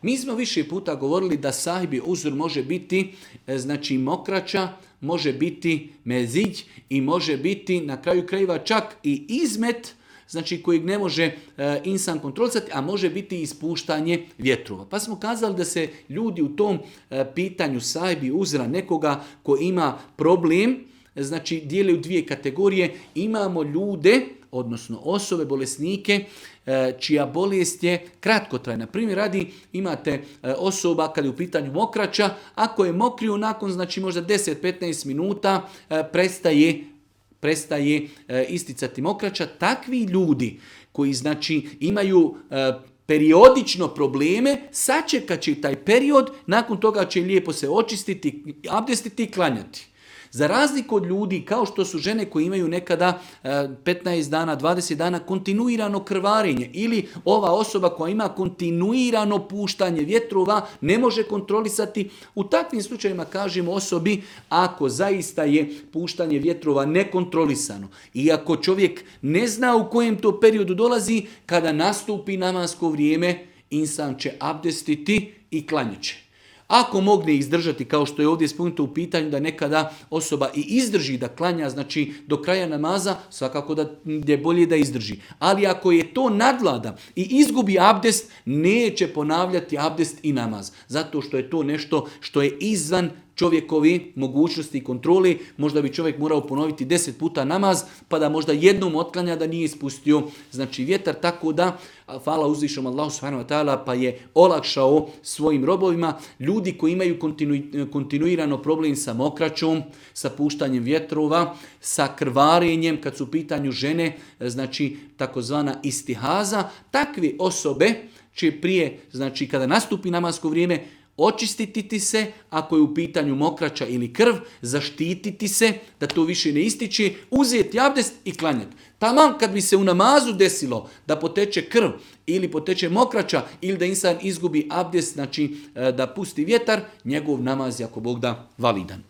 Mi smo više puta govorili da sahibi uzur može biti znači mokraća, može biti mezić i može biti na kraju krajeva čak i izmet, znači kojeg ne može insan kontrolisati, a može biti ispuštanje vjetrova. Pa smo kazali da se ljudi u tom pitanju sahibi uzra nekoga ko ima problem, znači dijeli u dvije kategorije. Imamo ljude, odnosno osobe, bolesnike, čija bolest je kratkotrajna. Primjer radi, imate osoba kad je u pitanju mokraća, ako je mokriju nakon znači možda 10-15 minuta prestaje isticati mokraća. Takvi ljudi koji znači imaju periodično probleme, sačekat će taj period, nakon toga će lijepo se očistiti, abdestiti i klanjati. Za razliku od ljudi kao što su žene koje imaju nekada 15 dana, 20 dana kontinuirano krvarenje ili ova osoba koja ima kontinuirano puštanje vjetrova ne može kontrolisati. U takvim slučajevima kažemo osobi ako zaista je puštanje vjetrova nekontrolisano i ako čovjek ne zna u kojem to periodu dolazi, kada nastupi namasko vrijeme, insan će abdestiti i klanjat će. Ako mogne izdržati, kao što je ovdje spomenuto u pitanju da nekada osoba i izdrži da klanja, znači do kraja namaza, svakako da je bolje da izdrži. Ali ako je to nadvlada i izgubi abdest, neće ponavljati abdest i namaz. Zato što je to nešto što je izvan čovjekovi mogućnosti i kontroli. Možda bi čovjek morao ponoviti 10 puta namaz, pa da možda jednom otklanja da nije ispustio znači vjetar, tako da hvala uzvišom Allahu subhanahu wa ta'ala pa je olakšao svojim robovima. Ljudi koji imaju kontinuirano problem sa mokraćom, sa puštanjem vjetrova, sa krvarenjem, kad su u pitanju žene, znači takozvana istihaza, takve osobe će prije, znači kada nastupi namasko vrijeme, očistiti se, ako je u pitanju mokraća ili krv, zaštititi se, da to više ne ističe, uzeti abdest i klanjati. Taman kad bi se u namazu desilo da poteče krv ili poteče mokraća ili da insan izgubi abdest, znači da pusti vjetar, njegov namaz je ako Bog da validan.